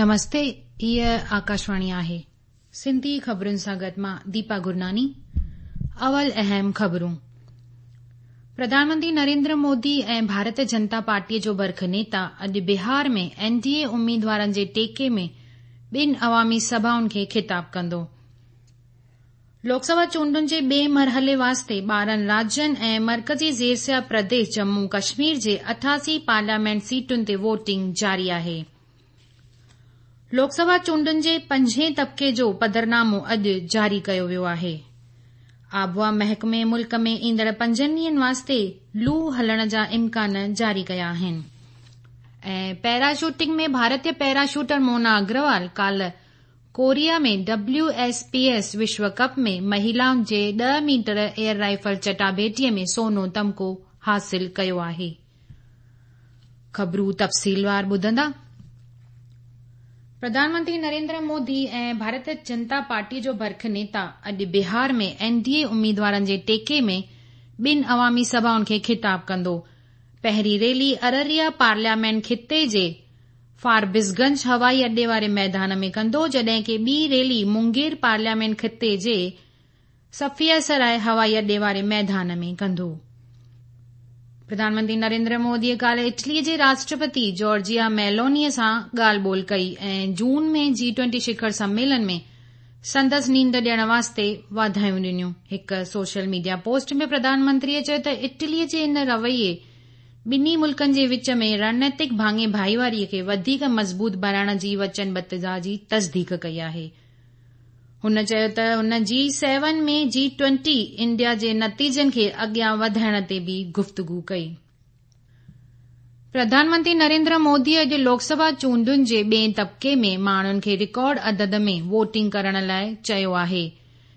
نمستي هيء آڪاشواڻي آهي. سنڌي خبرن سان گڏ مان ديپا گرناني. اول اهم خبرون. پرڌان منتري نريندر مودي ۽ ڀارتيه جنتا پارٽيء جو برک نيتا اڄ بهار ۾ اين ڊي اي اميدوارن جي ٽيڪي ۾ ٻن عوامي سڀائن کي خطاب ڪندو. لوڪ سڀا چونڊن جي ٻئي مرحلي واسطي 12 راجين ۽ مرڪزي زيرسيا پرديش ڄمون ڪشمير جي 88 پارليامينٽ سيٽن تي ووٽنگ جاري آهي. لوڪ سڀا چونڊن جي پنجين طبقي جو پڌرنامو اڄ جاري ڪيو ويو آهي. آبهوا محڪمي ملڪ ۾ ايندڙ پنجن ڏينهن واسطي لو هلڻ جا امڪان جاري ڪيا آهن. ۽ پيرا شوٽنگ ۾ ڀارتي پيرا شوٽر مونا اگروال ڪالهه Korea ۾ W S P S وشو ڪپ ۾ مهيلائن جي 10 ميٽر ايئر رائفل چٽاڀيٽيء ۾ سونو تمغو حاصل ڪيو آهي. خبرون تفصيلوار ٻڌندا. پرڌان منتري نريندر مودي ۽ ڀارتيه جنتا پارٽيء جو برک نيتا اڄ بهار ۾ اين ڊي اي اميدوارن جي ٽيڪي ۾ ٻن عوامي سڀائن کي خطاب ڪندو. پهرين ريلي ارريا پارليامينٽ خطي جي فاربسگنج هوائي اڏي واري ميدان ۾ ڪندو جڏهن ڪي ٻي ريلي مونگير پارليامينٽ خطي جي صفيه سراء هوائي اڏي واري ميدان ۾ ڪندو. پرڌان منتري نريندر موديء ڪالهه اٽليء جي راشٽرپتي جارجيا ميلونيء سان ڳالهه ٻولهه ڪئي ۽ جون ۾ جي ٽوئنٽي شکر سميلن ۾ سندس نينڍ ڏيڻ واسطي واڌايون ڏنيون. هڪ سوشل ميڊيا پوسٽ ۾ پرڌان منتريء چيو ته اٽليء جي ان رويي ٻنهي ملڪن جي وچ ۾ رڻنيتڪ ڀاڱي ڀائيواري کي وڌيڪ مضبوط بڻائڻ جي وچنبڌتا جي تصديق ڪئي آهي. هن چيو ته هن جي سيون ۾ جي ٽوئنٽي انڊيا جي نتيجن کي اڳيان وڌائڻ تي به گفتگو ڪئي. پرڌان منتري نريندر مودي اڄ لوڪ سڀا چونڊن جي ٻئين طبقي ۾ ماڻهن کي رڪارڊ عدد ۾ ووٽنگ ڪرڻ لاء چيو آهي.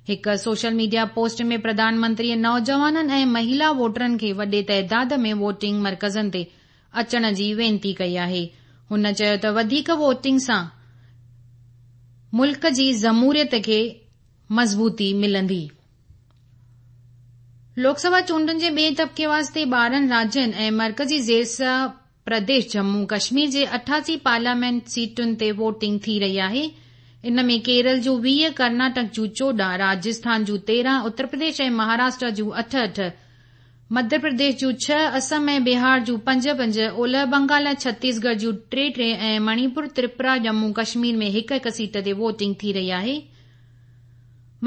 هڪ سوشل ميڊيا پوسٽ ۾ پرڌان منتريء نوجوانن ۽ مهيلا ووٽرن کي وڏي تعداد ۾ ووٽنگ مرڪزن تي اچڻ جي وينتي ڪئي آهي. هن چيو ته وڌيڪ ووٽنگ سان ملڪ جي جمهوريت کي مضبوطي ملندي. لوڪ سڀا چونڊن جي ٻئين طبقي واسطي 12 راجين ۽ مرڪزي زيرسيا پرديش ڄمون ڪشمير جي 88 پارليامينٽ سيٽن تي ووٽنگ ٿي رهي آهي. ان ۾ ڪيرل جون 20، ڪرناٽڪ جون 14، راجسٿان جون 13، اتر پرديش ۽ مهاراشٽرا جون اٺ اٺ، مڌيه پرديش جون ڇهه، اسم ۽ بهار جون پنج پنج، اولهه بنگال ۽ ڇتيسڳڙهه جون ٽي ٽي ۽ مڻيپور، تريپورا، ڄمون ڪشمير ۾ هڪ هڪ سيٽ تي ووٽنگ ٿي رهي آهي.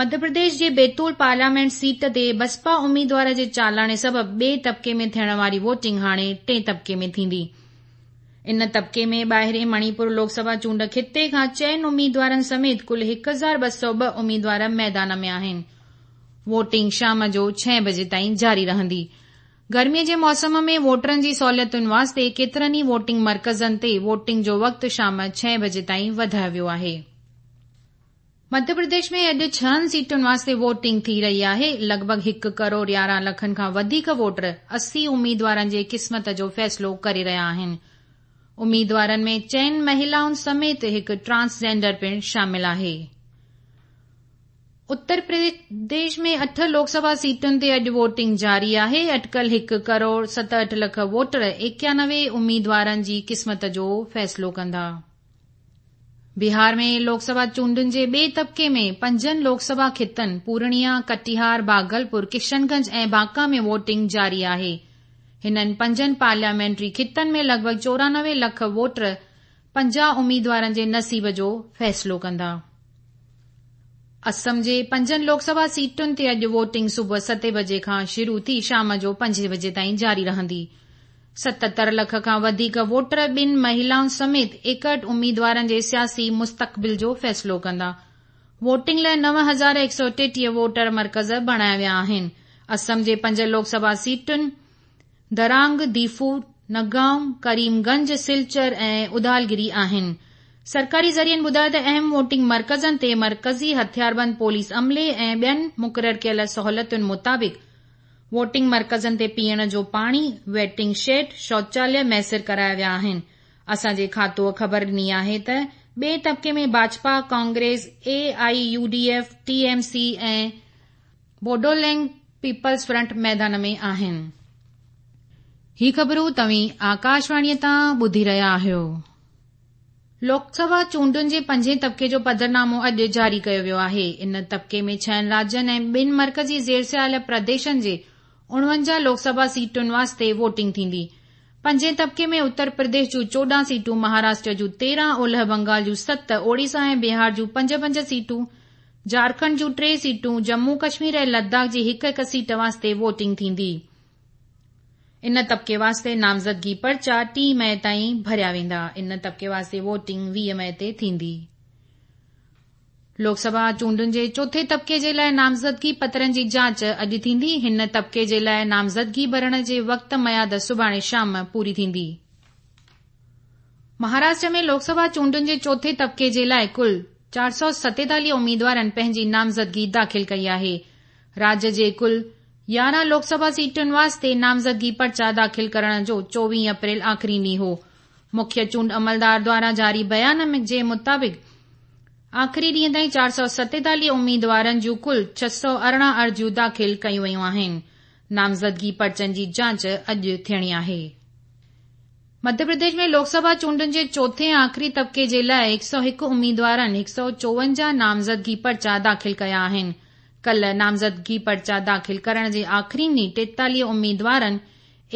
مڌيه پرديش جي بيتول پارليامينٽ سيٽ تي بسپا اميدوار جي چالاڻي سبب ٻئي طبقي ۾ ٿيڻ واري ووٽنگ هاڻي ٽئين طبقي ۾ ٿيندي. ان طبقي ۾ ٻاهرين مڻيپور لوڪ سڀا چونڊ خطي کان چئن اميدوارن سميت ڪل 1202 اميدوار ميدان ۾ آهن. ووٽنگ شام جو ڇهين بجي تائين جاري رهندي. گرمي جي موسم ۾ ووٽرن جي سهوليتن واسطي ڪيترن ئي ووٽنگ مرڪزن تي ووٽنگ جو وقت شام ڇهين بجي تائين وڌايو ويو آهي. مڌيه پرديش ۾ اڄ ڇهن سيٽن واسطي ووٽنگ ٿي رهي آهي. لڳ ڀڳ هڪ ڪروڙ 11 لکن کان وڌيڪ ووٽر 80 اميدوارن جي قسمت جو فيصلو ڪري رهيا آهن. اميدوارن ۾ چئن مهيلائن سميت هڪ ٽرانس جينڊر پڻ شامل آهي. اتر پرديش ۾ اٺ لوڪ سڀا سيٽن تي اڄ ووٽنگ جاري آهي. اٽڪل هڪ ڪروڙ 67 لک ووٽر 91 اميدوارن جي قسمت جو فيصلو ڪندا. بهار ۾ لوڪ سڀا چونڊن جي ٻئي طبقي ۾ پنجن لوڪ سڀا خطن پورڻيا، ڪٽيهار، ڀاگلپور، ڪشن گنج ۽ بانڪا ۾ ووٽنگ جاري آهي. هنن پنجن پارليامينٽري خطن ۾ لڳ ڀڳ 94 لک ووٽر 50 اميدوارن جي نصيب جو فيصلو ڪندا. اسم جي پنجن لوڪ سڀا سيٽن تي اڄ ووٽنگ صبح ستين بجي کان شروع ٿي شام جو پنجين بجي تائين جاري رهندي. 77 لک کان وڌيڪ ووٽر ٻن مهيلائن سميت 61 اميدوارن جي سياسي مستقبل جو فيصلو ڪندا. ووٽنگ لاء 9133 ووٽر مرڪز بڻايا ويا آهن. اسم جي پنج لوڪ سڀا سيٽن درانگ، ديفو، نگائون، ڪريم گنج، سلچر ۽ ادالگري آهن. سرڪاري ذريعن ٻڌايو ته اهم ووٽنگ مرڪزن تي مرڪزي هٿياربند پوليس عملي ۽ ٻين مقرر ڪيل سهولتن مطابق ووٽنگ مرڪزن تي پيئڻ جو پاڻي، ويٽنگ شيڊ، شوچاليه ميسر ڪرايا ويا آهن. اسان جي کاتوء خبر ڏني آهي ته ٻئي طبقي ۾ Bhajpa, Congress, A I U D F, T M C ۽ Bodoland peoples front ميدان ۾ آهن. هي خبرون توهين آڪاشواڻيء تان ٻڌي رهيا آهيو. لوڪسڀا چونڊن جي پنجين طبقي جو پڌرنامو اڄ جاري ڪيو ويو آهي. ان طبقي ۾ ڇهن راجين ۽ ٻن مرڪزي زيرسيال پرديشن جي 49 لوڪسڀا سيٽن واسطي ووٽنگ ٿيندي. پنجين طبقي ۾ اتر پرديش جون 14 سيٽون، مهاراشٽر جون 13، اولهه بنگال جون 7، اوڙيسا ۽ بهار جون 5 5 سيٽون، جهارکنڊ جون 3 سيٽون، ڄمون ڪشمير ۽ لداخ جي هڪ هڪ سيٽ واسطي ووٽنگ ٿيندي. ان طبقي واسطي نامزدگي پرچا 3 مئي تائين ڀريا ويندا. ان طبقي واسطي ووٽنگ 20 مئي تي ٿيندي. لوڪسڀا چونڊن جي چوٿين طبقي جي لاء نامزدگي پترن جي جاچ اڄ ٿيندي. هن طبقي جي لاء نامزدگي ڀرڻ جي وقت ميعاد سڀاڻي شام پوري ٿيندي. مهاراشٽر ۾ لوڪسڀا چونڊن جي چوٿين طبقي جي لاء ڪل 447 اميدوارن پنهنجي نامزدگي داخل ڪئي آهي. راجيه جي ڪل 11 لوڪسڀا سيٽن واسطي نامزدگي پرچا داخل ڪرڻ جو 24 اپريل آخري ڏينهن هو. مکيه چونڊ عملدار دواران جاري بيان جي مطابق آخري ڏينهن تائين 447 اميدوارن جون ڪل 618 عرضيون داخل ڪيون ويون آهن. نامزدگي پرچن جي جاچ اڄ ٿيڻي آهي. مڌيه پرديش ۾ لوڪسڀا چونڊن جي چوٿين ۽ آخري طبقي جي لاء 101 اميدوارن 154 نامزدگي پرچا داخل ڪيا آهن. ڪلهه نامزدگي پرچا داخل ڪرڻ جي آخري ڏينهن 43 اميدوارن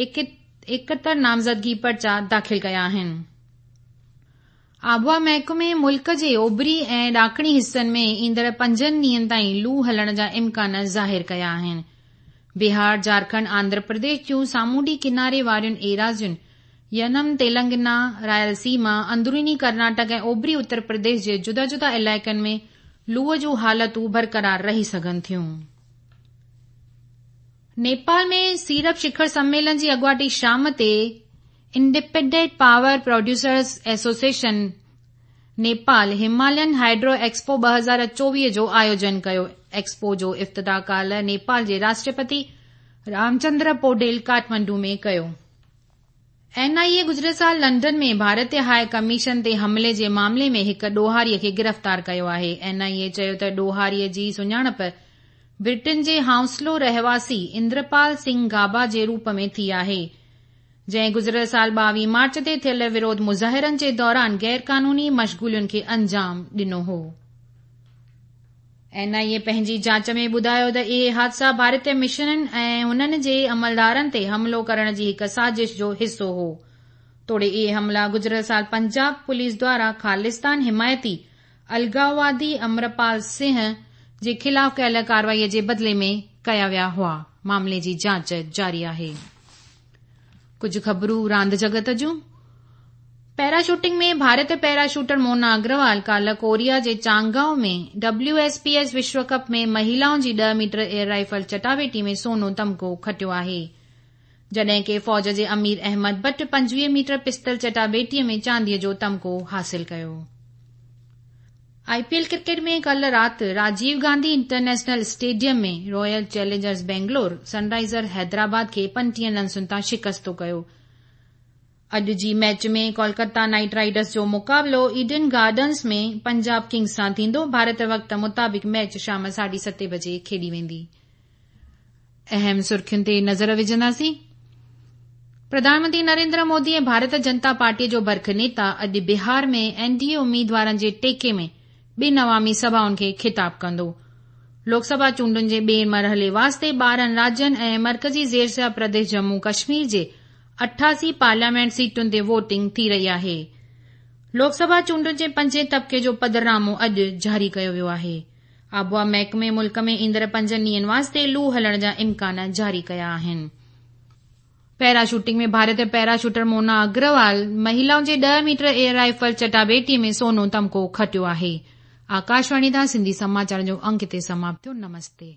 71 نامزدگي پرچا داخل ڪيا آهن. آبهوا محڪمي ملڪ جي اوڀري ۽ ڏاکڻي حصن ۾ ايندڙ پنجن ڏينهن تائين لو هلڻ جا امڪان ظاهر ڪيا آهن. بهار، جهارکنڊ، آنڌرا پرديش جون سامونڊي ڪناري وارين ايراضين، ينم، تيلنگانا، رائل سيما، اندروني ڪرناٽڪ ۽ اوڀري اتر پرديش جي جدا جدا علائقن ۾ لوء جون حالتون برقرار رهي سگهن ٿيون. نيپال ۾ سيرپ شکر سميلن جي اڳواٽي شام تي independent power producers association Nepal Himalayan hydro expo 2024 جو آيوجن ڪيو. ايڪسپو جو افتتاح ڪالهه نيپال جي راشٽرپتي رامچندر پوڊيل ڪاٺمنڊو ۾ ڪيو. اين آء اي گذريل سال لنڊن ۾ ڀارتي هاء ڪميشن تي حملي جي معاملي ۾ هڪ ڏوهاري کي گرفتار ڪيو آهي. اين آء اي چيو ته ڏوهاري جي سڃاڻپ برٽن جي هائونسلو رهواسي اندرپال سنگهه گابا جي روپ ۾ ٿي آهي، جنهن گذريل سال 22 مارچ تي ٿيل وروڌ مظاهرن جي دوران غيرقانوني مشغولين کي انجام ڏنو هو. اين آء اي پنهنجي جاچ ۾ ٻڌايو ته اهي حادثا ڀارتي مشنن ۽ انهن جي عملدارن تي حملو ڪرڻ جي هڪ سازش جو حصو هو. توڙي اهي حملا گذريل سال پنجاب پوليس دواران خالصتان حمايتي الغاوادي امرپال سنگهه جي خلاف ڪيل ڪارروائي جي بدلي ۾ ڪيا ويا هئا. معاملي جي جاچ جاري آهي. ڪجهه خبرون راند جڳت جون. پيرا شوٽنگ ۾ ڀارتي پيرا شوٽر مونا اگروال ڪالهه ڪوريا جي چانگائو ۾ ڊبليو ايس پي ايس وشو ڪپ ۾ مهيلائن جي 10 ميٽر ايئر رائفل چٽاڀيٽي ۾ سونو تمغو کٽيو آهي. جڏهن ڪي فوج جي امير احمد بٽ 25 ميٽر پستل چٽاڀيٽي ۾ چانديء جو تمغو حاصل ڪيو. آء پي ايل ڪرڪيٽ ۾ ڪالهه رات Rajiv Gandhi international stadium ۾ Royal Challengers Bangalore Sunriser Hyderabad کي 35 رنسن تان شڪستو ڪيو. اڄ جي ميچ ۾ ڪولڪتا نائيٽ رائيڊرز جو مقابلو ايڊن گارڊنز ۾ پنجاب ڪنگز سان ٿيندو. ڀارت وقت مطابق ميچ شام 7:30 بجي کيڏي ويندي. اهم سرخين تي نظر وجهنداسين. پرڌان منتري نريندر مودي ۽ ڀارت جنتا پارٽي جو برک نيتا اڄ بهار ۾ اين ڊي اي اميدوارن جي ٽيڪي ۾ ٻن عوامي سڀائن کي خطاب ڪندو. لوڪسڀا چونڊن جي ٻئي مرحلي واسطي 12 راجين ۽ مرڪزي زيرسيا پرديش ڄمون ڪشمير جي 88 پارليامينٽ سيٽن تي ووٽنگ ٿي رهي آهي. لوڪسڀا چونڊن جي پنجين طبقي جو پڌرنامو اڄ جاري ڪيو ويو آهي. آبهوا محڪمي ملڪ ۾ ايندڙ پنجن ڏينهن واسطي لو هلڻ جا امڪان جاري ڪيا آهن. پيرا شوٽنگ ۾ ڀارتي پيرا شوٽر مونا اگروال مهيلائن جي 10 ميٽر ايئر رائفل چٽاڀيٽي ۾ سونو تمغو کٽيو آهي. آڪاشواڻي تان سنڌي سماچارن جو انڪ هتي سماپت ٿيو. نمستي.